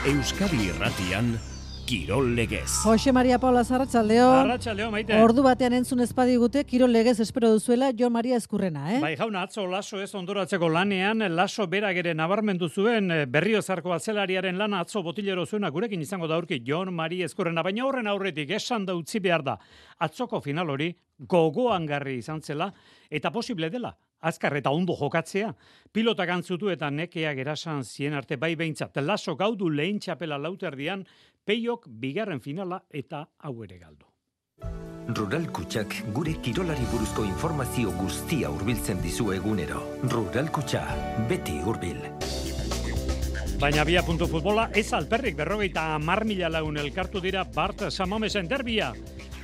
Euskadi Irratian, Kirol Legez. Jose Maria Paula Arratsaldeon. Arratsaldeon, Maite. Ordu batean entzun espadigute Kirol Legez espero duzuela Jon Maria Ezkurrena, Bai, jauna, atzo Laso ez ondoratzeko lanean, Laso berak ere nabarmendu zuen Berriozarko atzelariaren lana atzo botilero zuena gurekin izango da aurki Jon Maria Ezkurrena, baina horren aurretik esan da utzi behar da. Atzoko final hori gogoangarri izan zela eta posible dela. Azkar eta ondo jokatzea, pilotak antzutu eta nekeak erasan zien arte bai behintzat. Laso gaudu lehen txapela lauterdian, Peiok bigarren finala eta hau ere galdu. Rural Kutxak gure kirolari buruzko informazio guztia hurbiltzen dizu egunero. Rural Kutxa, beti hurbil. Baina bia puntu futbola, ez alperrik 50.000 lagun elkartu dira Bart Samamesen derbia.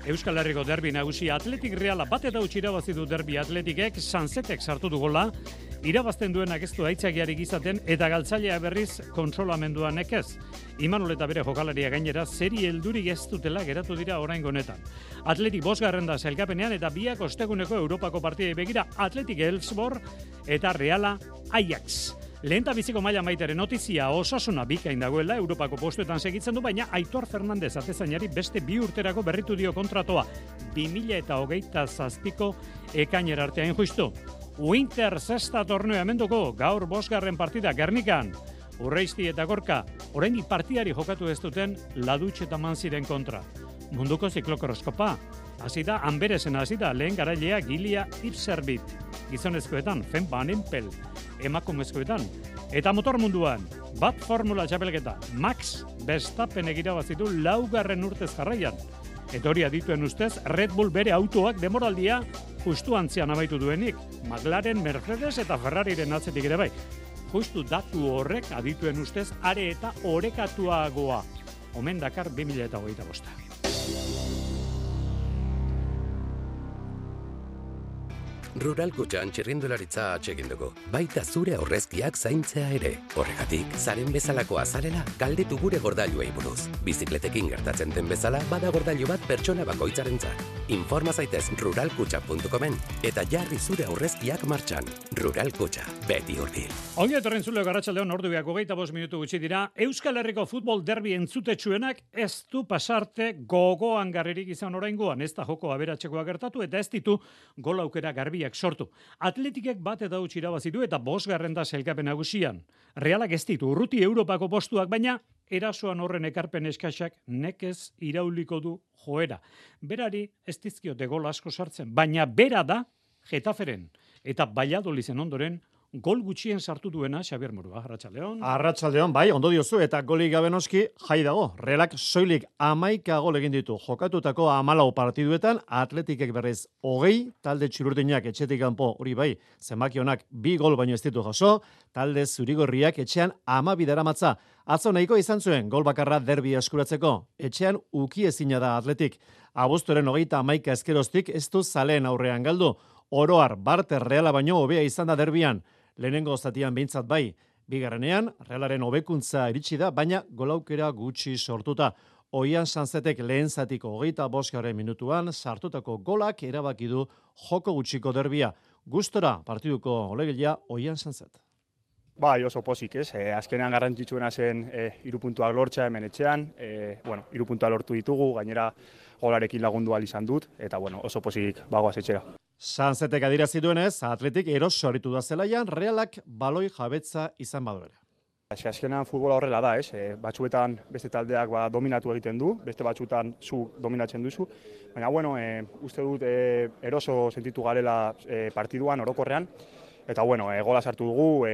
Euskal Herriko derbi nagusia Atletik Reala bat eta utzi irabazi du derbi Atletikek, Sansetek sartu du gola, irabazten duenak ez du aitzakiarik izaten eta galtzailea berriz kontrolamenduan nekez. Imanol eta bere jokalaria gainera zeri heldurik ez dutela geratu dira oraingo honetan. Atletik 5. da sailkapenean eta biak osteguneko Europako partidei begira Atletik Elfsborg eta Reala Ajax. Lehenta biziko maila Maiteren notizia Osasuna bikain dagoela Europako postuetan segitzen du, baina Aitor Fernandez atezainari beste 2 urterako berritu dio kontratoa 2027ko ekainera arte hain justu. Winter Sexta torneo hemenduko gaur 5. partida Gernikan. Urreisti eta Gorka oraindik partidari jokatu ez duten Ladutxe eta Manziren kontra. Munduko ziklokroskopa hasi da Anberesen hasi da lehen garailea Gilia Ipserbit. Gizonezkoetan Fen Van Empel, emakumezkoetan eta motor munduan bat formula txapelketa Max Verstappen irabazi du 4. urtez jarraian. Eta hori adituen ustez Red Bull bere autoak demoraldia justu antzian amaitu duenik. McLaren, Mercedes eta Ferrariren atzetik ere bai. Justu datu horrek adituen ustez are eta orekatuagoa. Omen dakar 2025. Rural Kutxan txirrindularitza atsegin dugu. Baita zure aurrezkiak zaintzea ere. Horregatik, zaren bezalakoa zarela, galdetu gure gordailuei buruz. Bizikletekin gertatzen den bezala, bada gordailu bat pertsona bakoitzarentzat. Informa zaitez ruralkutxa.comen eta jarri zure aurrezkiak martxan. Rural Kutxa, beti hurbil. Ongi etorren zule Arratsaldeon orduak 25 minutu gutxi dira. Euskal Herriko futbol derbi entzutetsuenak ez du pasarte gogoangarririk izan oraingoan. Ez da joko aberatsekoa gertatu eta ez ditu gol aukera garbi sortu. Atletikek bat eta utzi irabazi du eta 5. da sailkapen nagusian. Realak ez ditu urruti Europako postuak, baina erasoan horren ekarpen eskaxak nekez irauliko du joera. Berari ez dizkiote gol asko sartzen, baina bera da Getaferen eta Valladoliden ondoren gol gutxien sartu duena Xabier Murua. Arratsaldeon. Arratsaldeon, bai, ondo diozu eta golik gabe noski jai dago. Realak soilik 11 gol egin ditu. Jokatutako 14 partiduetan Atletikek berriz 20, talde txururdinak etxetik kanpo hori bai, zenbaki honak 2 gol baino ez ditu jaso, talde zurigorriak etxean 12 daramatza. Atzo nahiko izan zuen gol bakarra derbi eskuratzeko. Etxean ukiezina da Atletik. Abuztuaren 31 ezkeroztik ez du zaleen aurrean galdu. Oroar, Barter Reala baino hobea izan da derbian. Lehenengo zatian behintzat bai, bigarrenean, Realaren hobekuntza iritsi da, baina golaukera gutxi sortuta. Oian Sansetek lehen zatiko 25. minutuan sartutako golak erabaki du joko gutxiko derbia. Gustora partiduko olegilea Oian Sanset. Bai, oso pozik, ez? Azkenean garrantzitsuena zen 3 puntuak lortzea hemen etxean. 3 puntuak lortu ditugu, gainera golarekin lagundu ahal izan dut, eta oso pozik bagoaz etxera. Sansetek adirazi duenez, Atletik eroso aritu da zelaian, Realak baloi jabetza izan badu ere. Azkenean futbola horrela da, ez? Batzuetan beste taldeak dominatu egiten du, beste batzuetan zu dominatzen duzu. Baina, uste dut eroso sentitu garela partiduan, orokorrean. Eta, gola sartu dugu,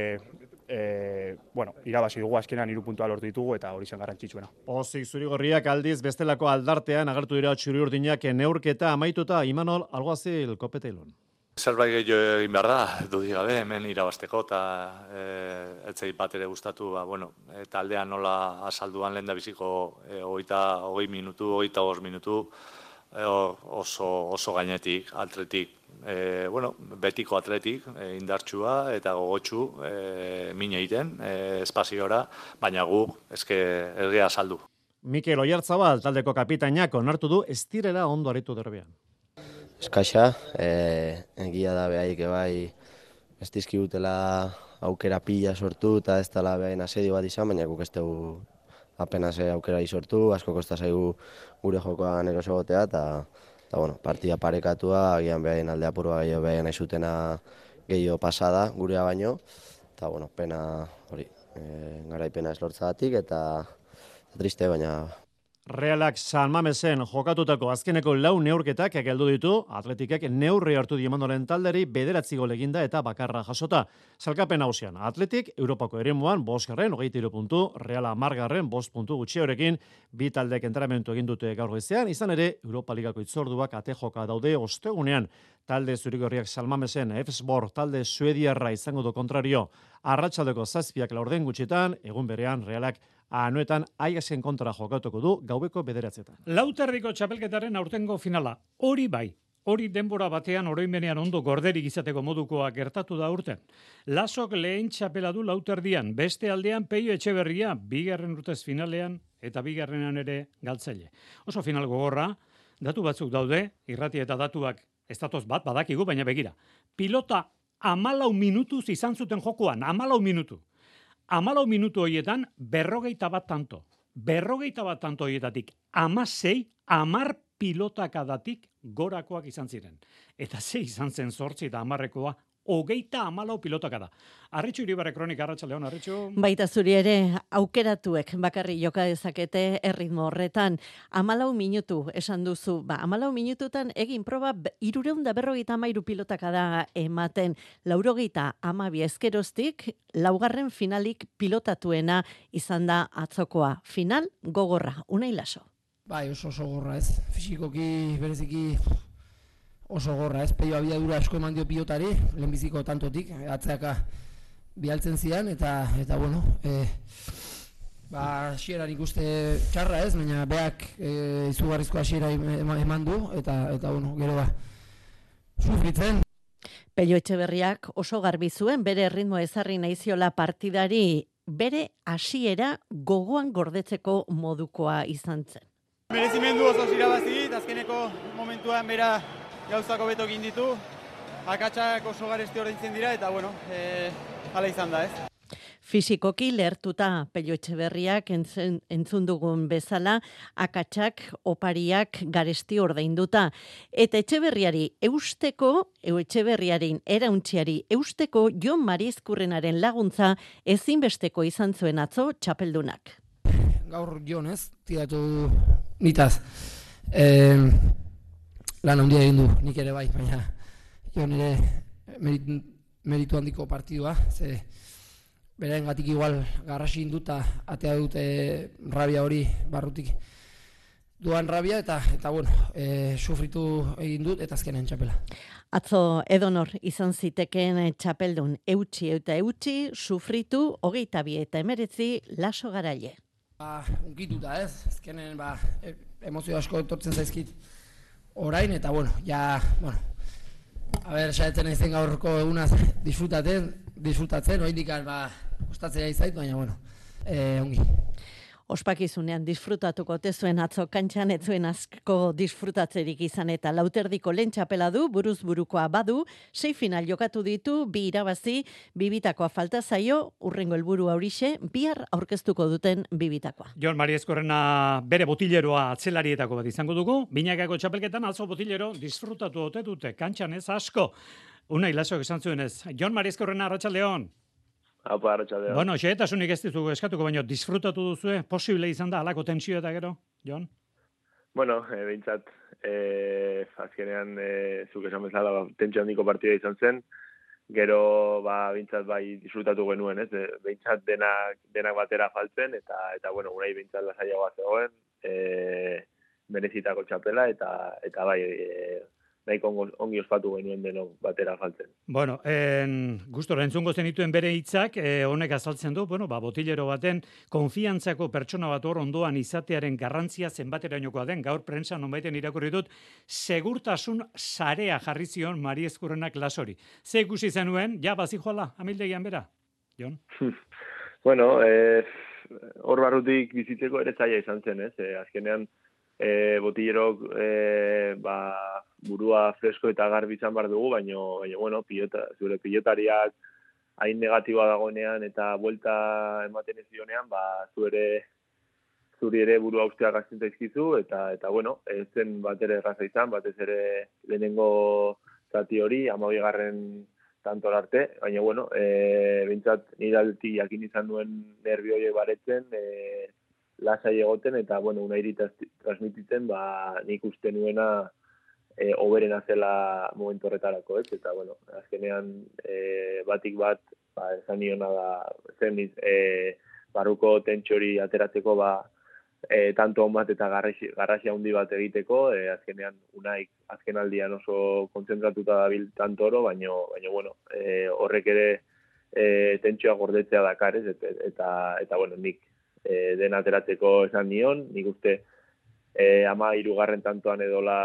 irabazi dugu azkenean 3 puntua lortu ditugu eta hori zen garrantzitsuena. Pozik zurigorriak aldiz bestelako aldartean agertu dira txuri-urdinak neurketa amaituta Imanol Alguazil Kopetailun. Zerbait gehiago egin behar da, dudik gabe, hemen irabazteko eta etzei bat ere gustatu, taldean nola asalduan lehen da biziko 20 minutu, 25 minutu, oso gainetik, Atletik. Betiko Atletik, indartsua eta gogotsu min egiten, espaziora, baina guk ergea saldu. Mikel Oyarzabal taldeko kapitainak onartu du ez direla ondo aritu derbian. Eskaxa, egia da behaik bai ez dizkigutela aukera pila sortu eta ez dela behain asedio bat izan, baina guk ez dugu apenas aukera sortu, asko kosta zaigu gure jokoan eroso egotea, eta bueno, partida parekatua, agian behaien alde apurua gehiago behaien nahi zutena gehiago pasada gurea baino, eta bueno, pena hori, garaipena ez lortzagatik, eta triste, baina... Realak San Mamesen jokatutako azkeneko 4 neurketak geldu ditu, Atletikek neurri hartu Diamandoren talderi 9 gol eginda eta bakarra jasota. Salkapen nagusian, Atletik Europako eremuan 5garren 23 puntu, Reala 10garren 5 puntu gutxiagorekin, bi taldek entrenamendu egin dute gaur goizean, izan ere Europa Ligako hitzorduak ate joka daude ostegunean. Talde zurigorriak San Mamesen Elfsborg talde suediarra izango du kontrario. Arratsaldeko 7 laurden gutxitan, egun berean Realak Anoetan Aiasen kontra jokatuko du gaueko 9:00. Lauterdiko txapelketaren aurtengo finala. Hori bai, hori denbora batean oroimenean ondo gorderik izateko modukoa gertatu da urten. Lasok lehen txapela du lauterdian, beste aldean Peio Etxeberria, 2. urtez finalean eta 2. ere galtzaile. Oso final gogorra, datu batzuk daude, irrati eta datuak ez datoz bat badakigu, baina begira. Pilota 14 minutuz izan zuten jokoan, 14 minutu. 14 minutu horietan, 41 tanto. 41 tanto horietatik, 10 pilotakadatik gorakoak izan ziren. Eta 6 izan zen 8 eta 10rekoa, 34 pilotakada. Arritxu Iribarre kronika, arratsaldeon, Arritxu. Baita zuri ere, aukeratuek bakarri joka dezakete erritmo horretan. 14 minutu esan duzu, 14 minututan egin proba 353 pilotakada ematen, 92 ezkeroztik, 4. finalik pilotatuena izan da atzokoa. Final gogorra, Unai Laso. Bai, oso gogorra ez, fisikoki bereziki oso gogorra ez, Peio abiadura asko eman dio pilotari, lehenbiziko tantotik, atzeaka bialtzen zian, eta bueno, hasieran ikuste txarra ez, baina beak izugarrizko hasiera eman du, eta bueno, gero sufritzen. Peio Etxeberriak oso garbi zuen bere erritmo ezarri naiziola partidari, bere hasiera gogoan gordetzeko modukoa izan zen. Merezimendu oso irabazi, azkeneko momentuan bera gauzako beto egin ditu, akatsak oso garesti ordaintzen dira, eta bueno, hala izan da, ez? Fisikoki lehertuta Peio Etxeberriak entzun dugun bezala, akatsak, opariak garesti ordainduta. Eta Etxeberriari Etxeberriaren erauntziari eusteko Jon Mariezkurrenaren laguntza ezinbesteko izan zuen atzo txapeldunak. Gaur Jon ez, tiratu nitaz. Lan handia egin du, nik ere bai, baina Jon ere meritu handiko partidua, ze beraengatik igual garrasi induta atea dute rabia hori barrutik duan rabia, eta bueno, sufritu egin dut eta azkenean txapela. Atzo edonor izan ziteken txapeldun eutxi, sufritu 22 eta 19 Laso Garaile. Unkituta ez, azkenen emozio asko etortzen zaizkit orain, eta bueno, saiatzen naizen gaurko egunaz disfrutatzen, oraindik kostatzea izait, baina bueno, ongi. Ospakizunean disfrutatuko tezuen atzo kantxan, etzuen asko disfrutatzerik izan eta lauterdiko lehen txapela du, buruz burukoa badu, 6 final jokatu ditu, 2 irabazi, 2 bitakoa falta zaio, urrengo helburu horixe, bihar aurkeztuko duten 2 bitakoa. Jon Mariezkorrena bere botileroa atzelarietako bat izango dugu, binakako txapelketan atzo botilero disfrutatu ote dute, kantxan ez asko. Unai Lasok esan zuen ez. Jon Mariezkorrena, arratsaldeon. Apa, arratsaldeon. Bueno, xehetasunik ez dizugu eskatuko, baina disfrutatu duzue, posible izan da, alako tentsio eta gero, Jon? Bueno, behintzat, azkenean, zuk esan bezala, tentsio handiko partida izan zen, gero, behintzat, disfrutatu genuen, ez? Behintzat denak batera faltzen, eta bueno, unai behintzat lasaiagoa zegoen, merezitako txapela, eta nahiko ongi ospatu genuen denok batera faltzen. Bueno, gustora entzungo zenituen bere hitzak, honek azaltzen du, botilero baten konfiantzako pertsona bat hor ondoan izatearen garrantzia zenbaterainokoa den, gaur prentsa nonbaiten irakurri dut, segurtasun sarea jarri zion Mariezkurrenak Lasori. Ze ikusi zenuen, bazijoala, amildegian bera, Jon? Bueno, hor barrutik bizitzeko ere zaila izan zen, ez? Azkenean, botillerok burua fresko eta garbi izan bar dugu, baina bueno, zure pilotariak hain negatiboa dagoenean eta buelta ematen ez dionean, zu ere zuri ere burua ustea gazten zaizkizu, eta bueno, ez zen bat ere erraza izan, batez ere lehenengo zati hori, 12. tantor arte, baina bueno, bintzat niralti jakin izan duen nervio horiek baretzen, lasai egoten, eta bueno, unairi transmititzen, nik uste nuena oberena zela momentu horretarako, ez? Eta bueno, azkenean batik bat, esan niona da, zen barruko tentxori ateratzeko, tanto on bat eta garrasia handi bat egiteko, azkenean unaik azken aldian oso kontzentratuta dabil tantoro, baina bueno, horrek ere tentsioa gordetzea dakar, ez? Eta bueno, nik den ateratzeko esan nion, nik uste 13. tantoan edola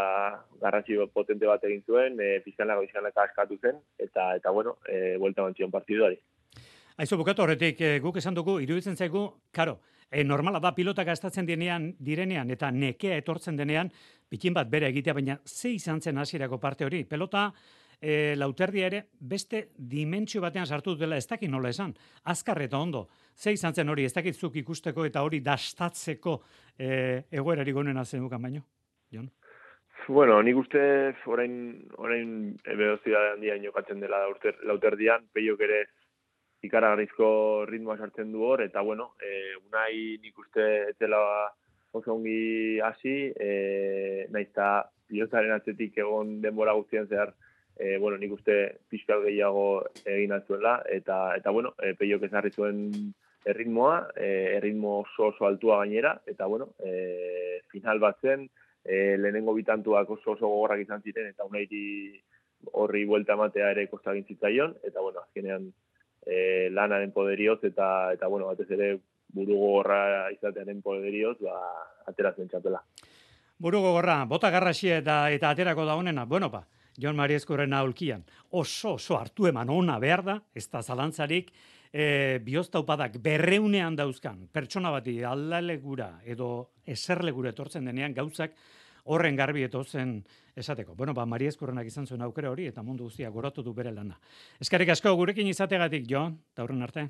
garrasi potente bat egin zuen, pizkanaka askatu zen, eta bueno, buelta mantzion partiduari. Aizu, bukatu horretik, guk esan dugu, iruditzen zaigu, karo, normala da pilota gastatzen direnean eta nekea etortzen denean, pikin bat bere egitea, baina ze izan zen hasierako parte hori? Pelota Lauterdia ere beste dimentsio batean sartu dela, ez dakit nola esan, azkar eta ondo. Ze izan zen hori, ez dakitzuk ikusteko eta hori dastatzeko egoerari gonena zenukan baino? Jon? Bueno, nik uste orain velocidade handia jokatzen dela Lauterdian, Peiok ere ikaragarrizko ritmoa sartzen du hor, eta bueno, unai nik uste etzela oso ongi hasi, naizta pilotaren atzetik egon denbora guztian zehar, bueno, nik uste pixkal gehiago egin atzuela, eta bueno, Peiok ezarri zuen erritmoa, erritmo oso altua gainera, eta bueno, final bat zen, lehenengo bitantuak oso gogorrak izan ziren, eta unairi horri buelta ematea ere kostagin zitzaion, eta bueno, azkenean lanaren poderioz, eta bueno, batez ere buru gogorra izatearen poderioz, ateratzen txapela. Buru gogorra, bota garraxia eta aterako da honena, bueno Jon Mariezkurrena aulkian, oso hartu eman ona behar da, ez da zalantzarik, bihoztaupadak 200 dauzkan, pertsona bati aldalegura edo eserlegura etortzen denean gauzak horren garbi etotzen esateko. Bueno, Mariezkurrenak izan zuen aukera hori eta mundu guztia goratu du bere lana. Eskerrik asko gurekin izategatik, Jon, eta horren arte.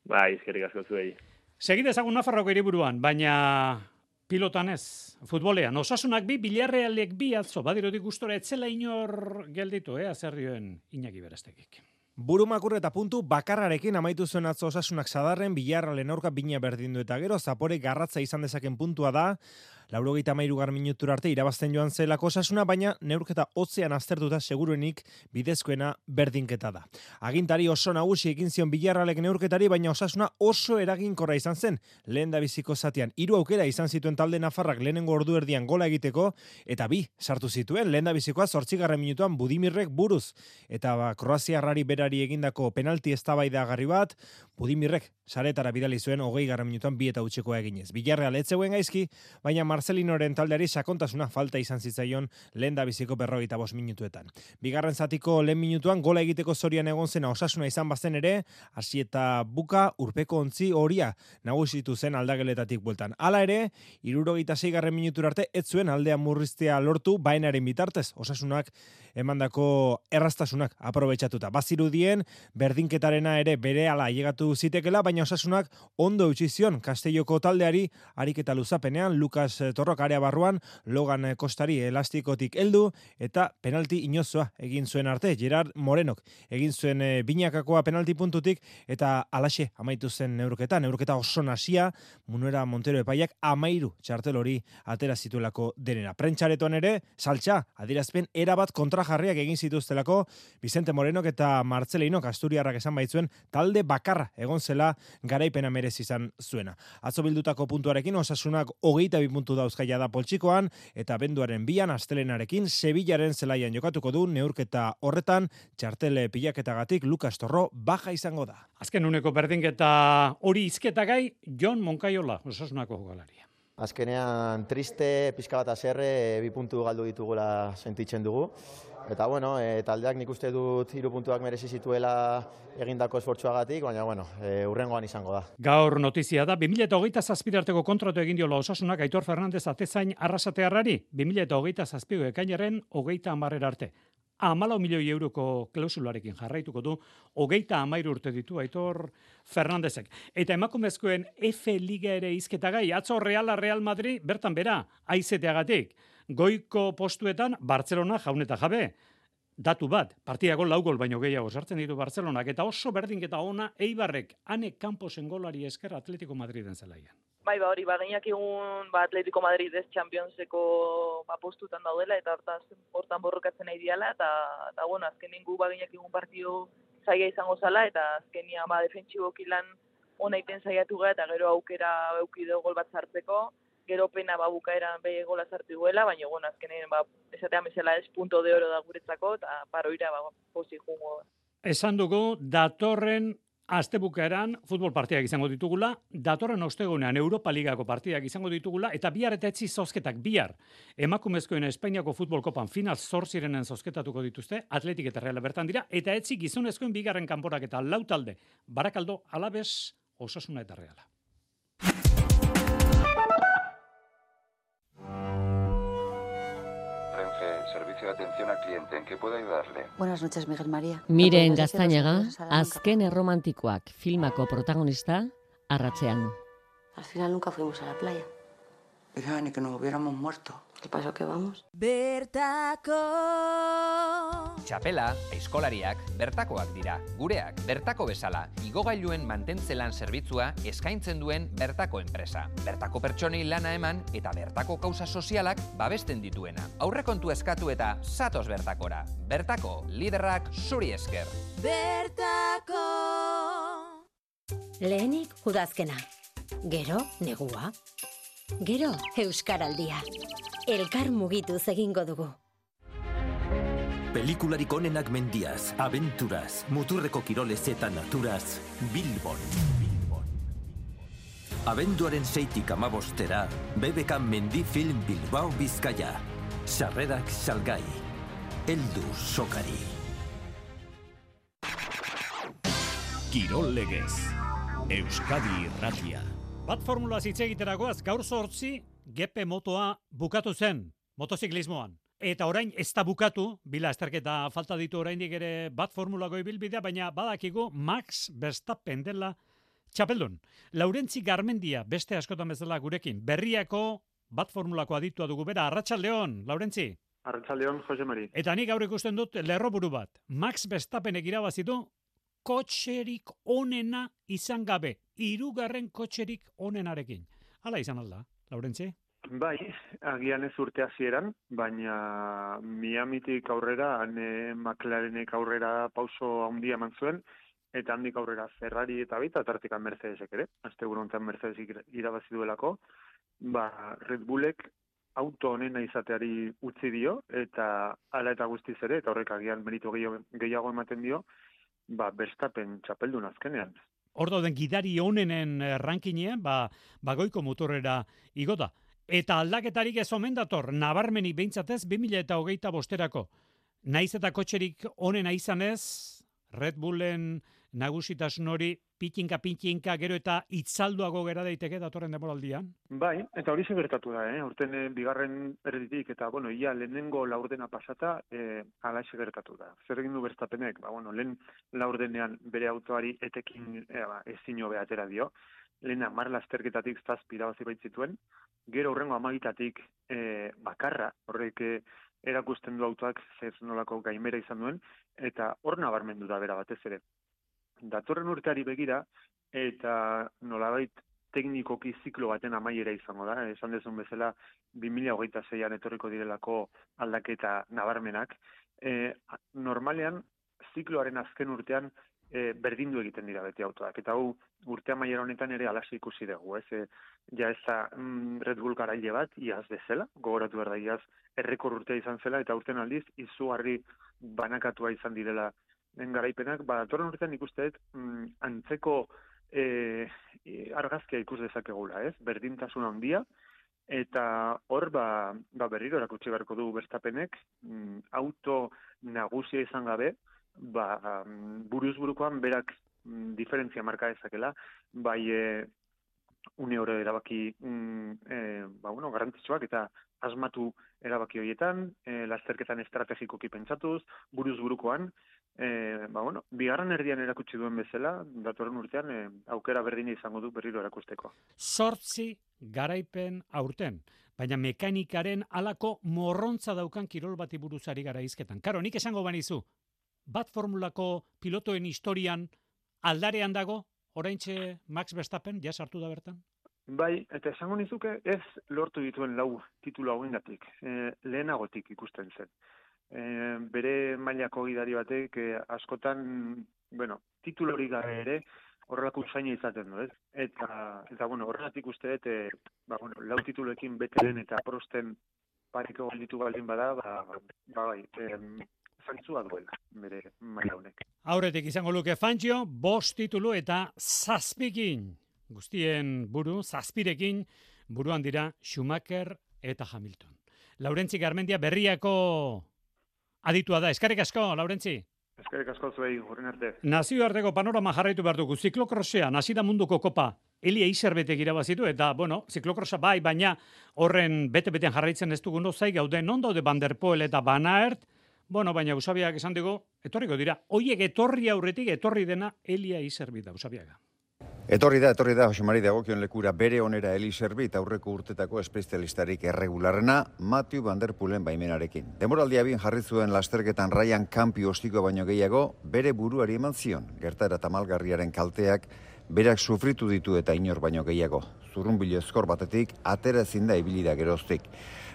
Eskerrik asko zuei. Segide ezagun Nafarroko hiriburuan, baina pilotan ez, futbolean. Osasunak 2, Villarrealek 2 atzo, badirotik gustora etzela inor gelditu, zer dioen Iñaki Berestekik. Burumakur eta puntu bakarrarekin amaitu zuen atzo Osasunak Sadarren, Villarrealen aurka bina berdindu eta gero, Zapore garratza izan dezaken puntua da, 93. minutura arte irabazten joan zelako Osasuna, baina neurketa hotzean aztertuta seguruenik bidezkoena berdinketa da. Agintari oso nagusi egin zion Villarrealek neurketari, baina Osasuna oso eraginkorra izan zen lehendabiziko zatean. 3 aukera izan zituen talde nafarrak lehenengo ordu erdian gola egiteko, eta 2 sartu zituen lehendabizikoa 8. minutuan Budimirrek buruz. Eta kroaziarrari berari egindako penalti eztabaidagarri bat, Budimirrek saretara bidali zuen 20. minutuan 2-0 eginez. Villarreal ez zegoen gaizki, baina Marcelinoren taldeari sakontasuna falta izan zitzaion lehendabiziko 45 minutuetan. Bigarren zatiko lehen minutuan gola egiteko zorian egon zena Osasuna izan bazen ere, hasi eta buka urpeko ontzi horia nagusitu zen aldageletatik bueltan. Hala ere, 76. minutura arte ez zuen aldea murriztea lortu bainaren bitartez, Osasunak emandako erraztasunak aprobetxatuta. Bazirudien, berdinketarena ere berehala ailegatu zitekela, baina Osasunak ondo eutsi zion Castelloko taldeari ariketa luzapenean, Lucas Torrok area barruan, Logan Kostari elastikotik heldu, eta penalti inozoa egin zuen arte, Gerard Morenok egin zuen binakakoa penalti puntutik, eta alaxe amaitu zen neurketa oso nasia, Munuera Montero epaiak 13 txartel hori atera zituelako denera. Prentxaretoan ere, saltxa, adierazpen erabat kontrajarriak egin zituztelako, Vicente Morenok eta Marcelinok Asturiarrak esan baitzuen talde bakarra egon zela garaipena merezi izan zuena. Atzo bildutako puntuarekin Osasunak 22 puntu dauzkaia da poltsikoan, eta benduaren 2an astelenarekin Sevillaren zelaian jokatuko du neurketa horretan, txartele pilaketagatik Lucas Torro baja izango da. Azken uneko berdinketa hori izketa gai, Jon Moncayola, Osasunako jokalaria. Azkenean triste, pixka bat azerre, 2 puntu galdu ditugula sentitzen dugu. Eta bueno, taldeak nik uste dut 3 puntuak merezi zituela egindako esfortzuagatik, baina bueno, hurrengoan izango da. Gaur notizia da, 2027 arteko kontratu egin diola Osasunak Aitor Fernandez atezain Arrasatearrari, 2027 ekainaren 30 arte. 14 milioi euroko klausularekin jarraituko du, 33 urte ditu Aitor Fernandezek. Eta emakumezkoen F Liga ere hizketagai, atzo Real Madrid bertan bera, aizeteagatik. Goiko postuetan Barcelona jaun eta jabe. Datu bat, partidako 4 gol baino gehiago sartzen ditu Barcelonak, eta oso berdinketa ona Eibarrek, Ane Camposen golari esker Atletico Madriden zelaian. Bai, hori, gainak egun Atletico Madrid ez Championseko postutan daudela, eta hortan borrokatzen nahi diala, eta bueno, azkenen gu gainak egun partido zaila izango zala, eta azkenia defentsiboki lan ona iten saiatu gara, eta gero aukera eukideo gol bat sartzeko, gero pena bukaeran behi gola sartu duela, baina bueno, azkenen esatean bezala ez punto de oro da guretzako, eta paroira posi jungo. Esan dugu, datorren astebukaeran futbol partidak izango ditugula, datorren ostegunean Europa Ligako partidak izango ditugula, eta bihar eta etzi zozketak bihar. Emakumezkoen Espainiako futbol kopan final 8 zozketatuko dituzte, Atletik eta Reala bertan dira, eta etzi gizonezkoen bigarren kanporak eta 4 talde, Barakaldo, Alabes, Osasuna eta Reala. Servicio de atención al cliente, ¿en qué puedo ayudarle? Buenas noches, Miguel María. Miren Gaztañaga, azken erromantikoak filmako protagonista, arratsean. Al final nunca fuimos a la playa. Hija, ni que nos hubiéramos muerto. ¿Qué pasó que vamos? Bertako. Txapela, aizkolariak, bertakoak dira. Gureak, bertako bezala, igogailuen mantentzelan zerbitzua eskaintzen duen bertako enpresa. Bertako pertsonei lana eman eta bertako kausa sozialak babesten dituena. Aurrekontu eskatu eta zatoz bertakora. Bertako, liderrak zuri esker. Bertako. Lehenik udazkena. Gero, negua. Gero, euskaraldia. Elkar mugituz egingo dugu. Pelikularik onenak mendiaz, abenturaz, muturreko kirolez eta naturaz, Bilbon. Abenduaren 6tik 15era, BBK Mendi Film Bilbao Bizkaia. Sarrerak salgai. Heldu sokari. Kirol legez. Euskadi Irratia. Bat formula hitz egiterakoaz, gaur 8 GP motoa bukatu zen, motoziklismoan. Eta orain ez da bukatu, bila esterketa falta ditu oraindik ere bat formulako ibilbidea, baina badakigu Max Verstappen dela txapeldun. Laurentzi Garmendia, beste askotan bezala gurekin, berriako bat formulako aditua dugu bera. Arratsaldeon, Laurentzi. Arratsaldeon, Jose Mari. Eta nik gaur ikusten dut lerroburu bat. Max Verstappenek irabazi du kotxerik onena izan gabe, 3. kotxerik onenarekin. Hala izan alda, Laurentzi? Bai, agian ez urte hasieran, baina Miamitik aurrera, McLarenek aurrera pauso handia eman zuen, eta handik aurrera Ferrari eta baita tartekan Mercedesek ere. Asteburu honetan Mercedes irabazi duelako, Red Bullek auto honena izateari utzi dio, eta hala eta guztiz ere, eta horrek agian meritu gehiago ematen dio, Verstappen txapeldun azkenean. Hor dauden gidari onenen rankinean, goiko motorera igota. Eta aldaketarik ez omen dator, nabarmenik behintzatez 2025erako. Naiz eta kotxerik onena izanez, Red Bullen nagusitasun hori pitinka gero eta itzalduago gera daiteke datorren demoraldian? Bai, eta hori gertatu da, Horten bigarren erditik eta, ia lehenengo laurdena pasata, alaxe gertatu da. Zer egin du Verstappenek? Lehen laurdenean bere autoari etekin ezin hobe atera dio. Lehen 10 lasterketatik 7 irabazi baitzituen, gero hurrengo 12tatik bakarra, horrek erakusten du autoak zer nolako gaimera izan duen, eta hor nabarmendu da bera batez ere. Datorren urteari begira, eta nolabait teknikoki ziklo baten amaiera izango da, esan dezun bezala 2026an etorriko direlako aldaketa nabarmenak. Normalean, zikloaren azken urtean berdindu egiten dira beti autoak, eta hau urte amaiera honetan ere alaxe ikusi dugu, ja ez da Red Bull garaile bat, iaz bezala, gogoratu behar da iaz errekor urtea izan zela, eta urten aldiz izugarri banakatua izan direla garaipenak, datorren urtean ikusteet antzeko argazkia ikus dezakegula, berdintasun handia, eta hor berriro erakutsi beharko du Verstappenek, auto nagusia izan gabe, buruz burukoan berak diferentzia marka dezakela, une oro erabaki garrantzitsuak eta asmatu erabaki horietan, lasterketan estrategikoki pentsatuz, buruz burukoan, bigarren erdian erakutsi duen bezala, datorren urtean aukera berdina izango du berriro erakusteko. 8 garaipen aurten, baina mekanikaren halako morrontza daukan kirol bati buruz ari gara hizketan. Karo, nik esango banizu, bat formulako pilotoen historian aldarean dago, oraintxe Max Verstappen, ja sartu da bertan? Bai, eta esango nizuke ez lortu dituen 4 titulu hauengatik, lehenagotik ikusten zen. Bere mailako gidari batek askotan, titulorik gabe ere horrelako usaina izaten du, ez? Eta horregatik uste dut, 4 tituloekin Bettelen eta Prosten pareko galditu baldin bada, zantzua duela bere maila honek. Aurretik izango luke Fangio, 5 titulu eta 7 guztien buru, 7 buruan dira Schumacher eta Hamilton. Laurentzi Garmendia berriako aditua da. Eskerrik asko, Laurentzi. Eskerrik asko zuei, horren arte. Nazioarteko panorama jarraitu behar dugu. Ziklokrosean, hasi da munduko kopa. Elia Iserbetek irabazitu eta, ziklokrosa bai, baina horren bete-betean jarraitzen ez dugun zai gauden, non daude Van der Poel eta Van Aert, baina Usabiak esan dugu, etorriko dira. Oiek etorri aurretik, etorri dena Elia Iserbit da, Usabiaga. Etorri da, Jose Mari dagokion lekura bere onera Eli Iserbit aurreko urtetako espezialistarik erregularrena Matthew Van der Poelen baimenarekin. Demoraldia bien jarri zuen lasterketan Ryan Campi ostiko baino gehiago bere buruari eman zion. Gertaera tamalgarriaren kalteak berak sufritu ditu eta inor baino gehiago. Zurrunbilo ezkor batetik atera ezin da ibili da geroztik.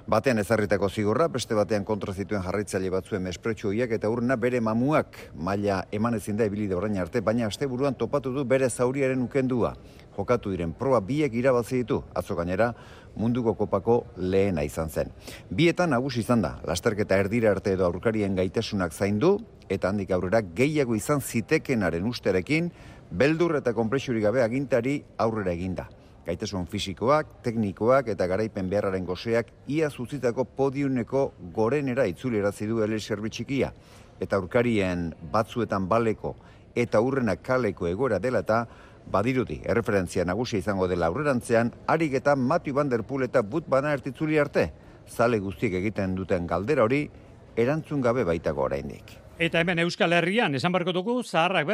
Batean ezarritako zigorra, beste batean kontra zituen jarraitzaile batzuen mespretxu horiek eta urrena bere mamuak maila eman ezin da ibili da orain arte, baina asteburuan topatu du bere zauriaren ukendua. Jokatu diren proba biek irabazi ditu, atzo gainera munduko kopako lehena izan zen. Bietan nagusi izan da, lasterketa erdira arte edo aurkarien gaitasunak zaindu, eta handik aurrera gehiago izan zitekenaren usterekin, beldur eta konprexurik gabe agintari aurrera eginda. Gaitasun fisikoak, teknikoak eta garaipen beharraren goseak ia zuzitako podiuneko gorenera itzulerazi du Eli Iserbit txikia. Eta aurkarien batzuetan baleko eta urrenak kaleko egoera dela eta badirudi erreferentzia nagusia izango dela aurrerantzean, harik eta Matthew Van der Poel eta Wout van Aert itzuli arte. Zale guztiek egiten duten galdera hori, erantzun gabe baitago oraindik. Eta hemen Euskal Herrian, esan barko dugu, zaharrak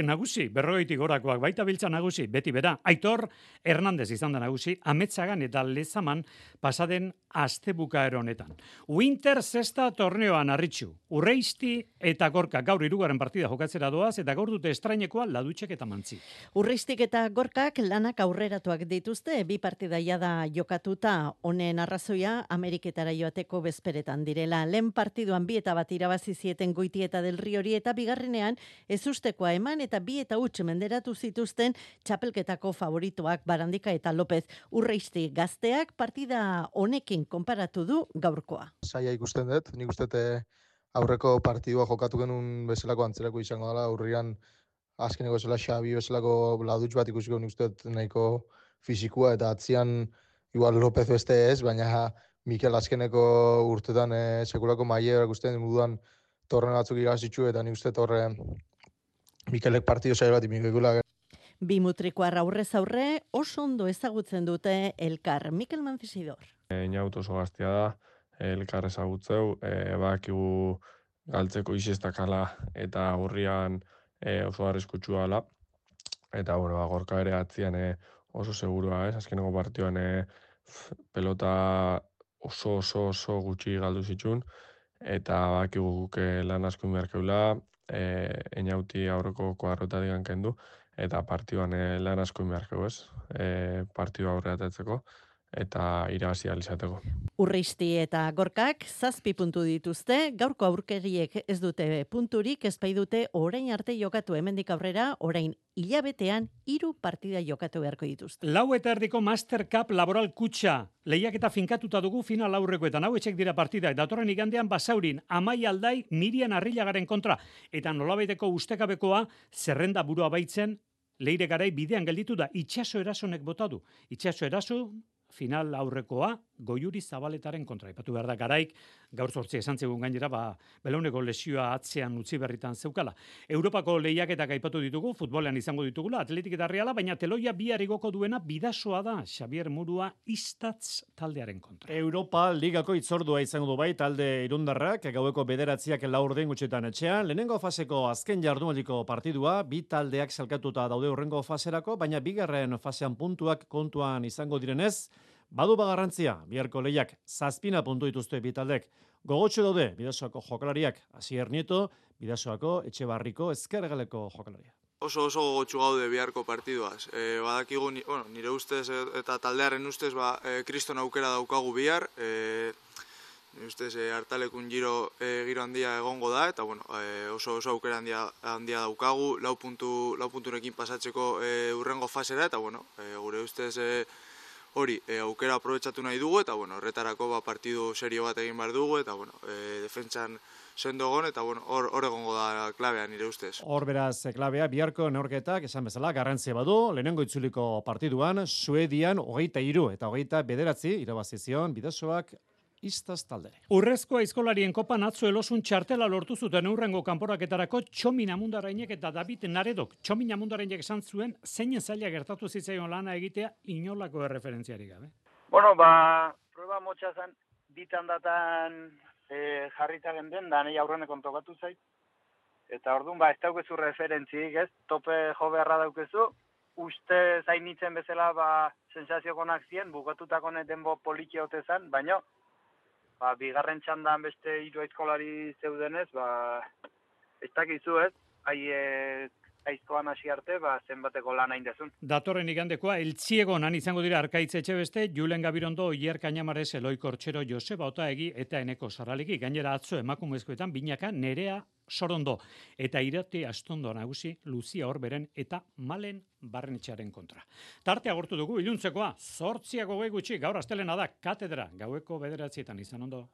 nagusi, 40 gorakoak baita biltza nagusi, beti bera. Aitor Hernandez izan da nagusi, Ametsagan eta Lezaman pasaden astebukaero honetan. Winter Zesta torneoan arritxu, Urreisti eta Gorka gaur 3. partida jokatzera doaz, eta gaur dute estrainekoa Ladutxek eta Mantzi. Urreistik eta Gorkak lanak aurreratuak dituzte, 2 partida jada jokatuta, honen arrazoia Ameriketara joateko bezperetan direla. Lehen partiduan 2 eta bat irabazi zieten Goitieta del Riori eta bigarrenean ezustekoa eman eta 2 eta huts menderatu zituzten txapelketako favoritoak Barandika eta López. Urreisti gazteak partida honekin konparatu du gaurkoa. Saia ikusten dut, nik uste aurreko partidua jokatu genuen bezalako antzerako izango dela, urrian azkeneko zela Xabi bezalako Ladutx bat ikusiko nik uste nahiko fizikua eta atzian igual López beste ez, baina Mikel azkeneko urtetan sekulako maile ikusten moduan torneo batzuk irabazitzu eta nik uste horre Mikelek partido zail bat imikekula. Bimutrikoar aurrez aurre oso ondo ezagutzen dute elkar. Mikel Manzisidor. Inaut oso gaztia da, elkar ezagutzeu, bakigu galtzeko izestakala eta urrian oso arriskutsua dela. Eta Gorka ere atzian oso segurua, azkeneko partioan pelota oso gutxi galdu zitsun, eta bakigu guk lan asko inberkeula, inauti aurreko kuadrotatik kendu, eta partioan lan asko inberkeu ez, partioa aurreatetzeko, eta irabazi ahal izateko. Urreisti eta Gorkak 7 puntu dituzte, gaurko aurkeriek ez dute punturik, ezpai dute orain arte jokatu hemendik aurrera, orain hilabetean 3 partida jokatu beharko dituzte. 4:30 Master Cup Laboral Kutxa, lehiaketa finkatuta dugu final aurrekoetan, hau etxek dira partidak, datorren igandean Basaurin, Amai Aldai, Mirian Arrilagaren kontra, eta nolabaiteko ustekabekoa zerrenda burua baitzen, Leire Garai bidean gelditu da, Itxaso Erasonek bota du. Itxaso Eraso final aurrekoa, Goiuri Zabaletaren kontra. Ipatu behar da, Garaik, gaur 8 esan zegoen gainera, Belauneko lesioa atzean utzi berritan zeukala. Europako lehiaketak aipatu ditugu, futbolean izango ditugula, Atletik eta Reala, baina teloia bihar igoko duena Bidasoa da, Xabier Murua Istatz taldearen kontra. Europa Ligako itzordua izango du bai talde irundarrak, gaueko 9 laurden gutxetan etxean, lehenengo faseko azken jardunaldiko partidua, bi taldeak salkatuta daude hurrengo faserako, baina bigarren fasean puntuak kontuan izango direnez, badu garrantzia, biharko lehiak 7 puntu dituzte bi taldek. Gogotsu daude Bidasoako jokalariak, Asier Nieto, Bidasoako Etxebarriko ezkergaleko jokalaria. Oso gogotsu gaude biharko partiduaz. Badakigu, nire ustez eta taldearen ustez, kriston aukera daukagu bihar. Nire ustez, hartalekun giro handia egongo da, eta oso aukera handia daukagu, lau punturekin pasatzeko urrengo fasera, eta gure ustez hori aukera aprobetxatu nahi dugu, eta horretarako partidu serio bat egin behar dugu, eta defentsan sendo egon, eta hor egongo da klabea nire ustez. Hor beraz klabea, biharko neurketak, esan bezala, garrantzia badu, lehenengo itzuliko partiduan, Suedian 23 eta 29 irabazizion Bidasoak Istaz taldere. Urrezko aizkolarien kopan atzo elosun txartela lortu zuten urrengo kanporaketarako Txomin Amundarrainek eta David Naredok. Txomin Amundarrainek esan zuen zeinen zaila gertatu zitzaion lana egitea inolako erreferentziarik gabe. Prueba motxa zen, bitan datan jarrita genden, da nahi aurrenekon tokatu zait. Eta orduan, ez daukezu referentziik, ez? Tope jo beharra daukezu. Uste zainitzen bezala, sensazio konak zien, bukatutako denbo poliki hote zen, baina bigarren txandan beste 3 aizkolari zeudenez, ez dakizu ez, aizkoan hasi arte, zenbateko lan hain dezun. Datorren igandekoa, Eltziegonan izango dira Arkaitz Etxebeste, Julen Gabirondo, Ier Kañamares, Eloi Kortxero, Joseba Otaegi eta Eneko Sarraliki. Gainera atzo emakumezkoetan binaka Nerea Sorondo eta Irati Astondo nagusi Luzia Orberen eta Malen Barrenetxearen kontra. Tarte agortu dugu iluntzekoa, 8 gutxi, gaur astelena da, katedra, gaueko 9 izan ondo.